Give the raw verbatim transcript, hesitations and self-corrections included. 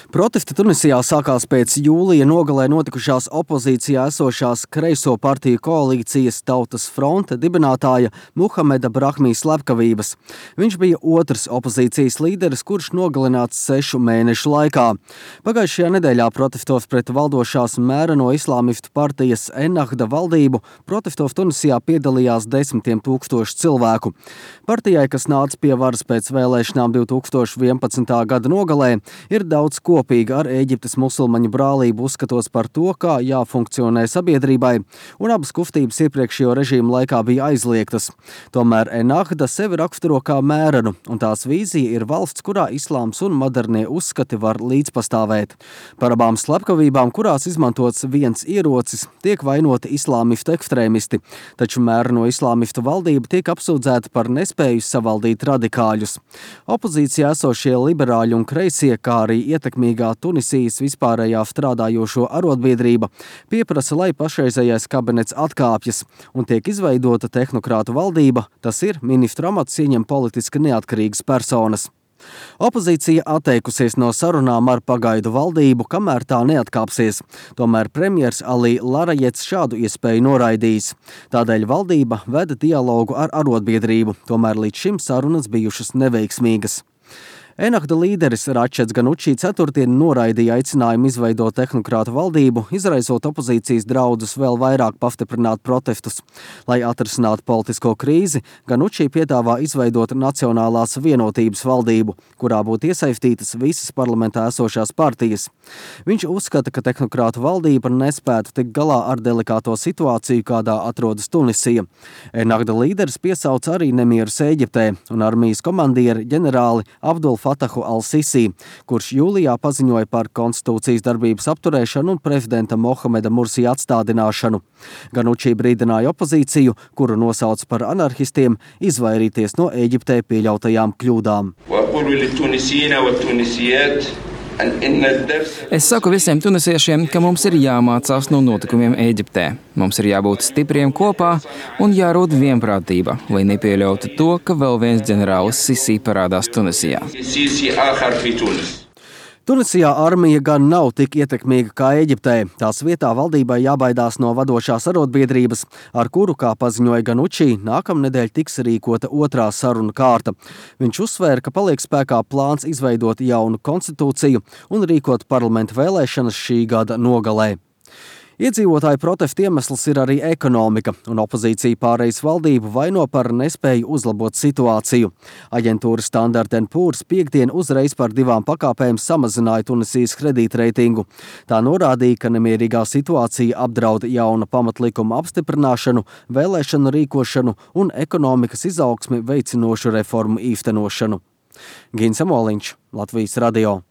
Protesti Tunisijā sākās pēc jūlija nogalē notikušās opozīcijā esošās kreiso partiju koalīcijas Tautas fronte dibinātāja Muhameda Brahmī slepkavības. Viņš bija otrs opozīcijas līderis, kurš nogalināts sešu mēnešu laikā. Pagājušajā nedēļā protestos pret valdošās mēreno islāmistu partijas Ennahda valdību protestos Tunisijā piedalījās desmitiem tūkstošu cilvēku. Partijai, kas nāca pie varas pēc vēlēšanām divi tūkstoši vienpadsmitā gada nogalē, ir daudz ko kopīgi ar Ēģiptes musulmaņu brālību uzskatos par to, kā jāfunkcionē sabiedrībai, un abas kustības iepriekšējo režīmu laikā bija aizliegtas. Tomēr Ennahda sevi raksturo kā mērenu, un tās vīzija ir valsts, kurā islāms un modernie uzskati var līdzpastāvēt. Par abām slepkavībām, kurās izmantots viens ierocis, tiek vainoti islāmistu ekstrēmisti, taču mēreno islāmistu valdība tiek apsūdzēta par nespēju savaldīt radikāļus. Opozīcijā esošie liberāļi un kreisie, kā arī ietekmīgi Tunisijas vispārējā strādājošo arotbiedrība pieprasa, lai pašreizējais kabinets atkāpjas un tiek izveidota tehnokrātu valdība, tas ir ministru amats ieņem politiski neatkarīgas personas. Opozīcija atteikusies no sarunām ar pagaidu valdību, kamēr tā neatkāpsies. Tomēr premjers Ali Larajets šādu iespēju noraidījis. Tādēļ valdība veda dialogu ar arotbiedrību, tomēr līdz šim sarunas bijušas neveiksmīgas. Ennahda līderis Račeds Ganuči ceturtdien noraidīja aicinājumu izveidot tehnokrātu valdību, izraisot opozīcijas draudus vēl vairāk pastiprināt protestus. Lai atrisinātu politisko krīzi, Ganuči piedāvā izveidot Nacionālās vienotības valdību, kurā būtu iesaistītas visas parlamentā esošās partijas. Viņš uzskata, ka tehnokrātu valdība nespētu tikt galā ar delikāto situāciju, kādā atrodas Tunisija. Ennahda līderis piesauc arī nemierus Ēģiptē un armijas komandieri ģenerāli Abdul Fatahu al-Sisi, kurš jūlijā paziņoja par konstitūcijas darbības apturēšanu un prezidenta Mohameda Mursī atstādināšanu. Ganuči brīdināja opozīciju, kuru nosauc par anarhistiem, izvairīties no Ēģiptē pieļautajām kļūdām. Es saku visiem tunisiešiem, ka mums ir jāmācās no notikumiem Ēģiptē. Mums ir jābūt stipriem kopā un jārod vienprātība, lai nepieļautu to, ka vēl viens ģenerālis Sisi parādās Tunisijā. Tunisijā armija gan nav tik ietekmīga kā Ēģiptē. Tās vietā valdībai jābaidās no vadošās arotbiedrības, ar kuru, kā paziņoja Ganuči, nākamnedēļ tiks rīkota otrā saruna kārta. Viņš uzsvēra, ka paliek spēkā plāns izveidot jaunu konstitūciju un rīkot parlamenta vēlēšanas šī gada nogalē. Iedzīvotāju protestu iemesls ir arī ekonomika, un opozīcija pārejas valdību vaino par nespēju uzlabot situāciju. Aģentūra Standard and Poor's piekdien uzreiz par divām pakāpēm samazināja Tunisijas kredītreitingu. Tā norādīja, ka nemierīgā situācija apdraud jauna pamatlikuma apstiprināšanu, vēlēšanu rīkošanu un ekonomikas izaugsmi veicinošu reformu īstenošanu. Gins Amoliņš, Latvijas radio.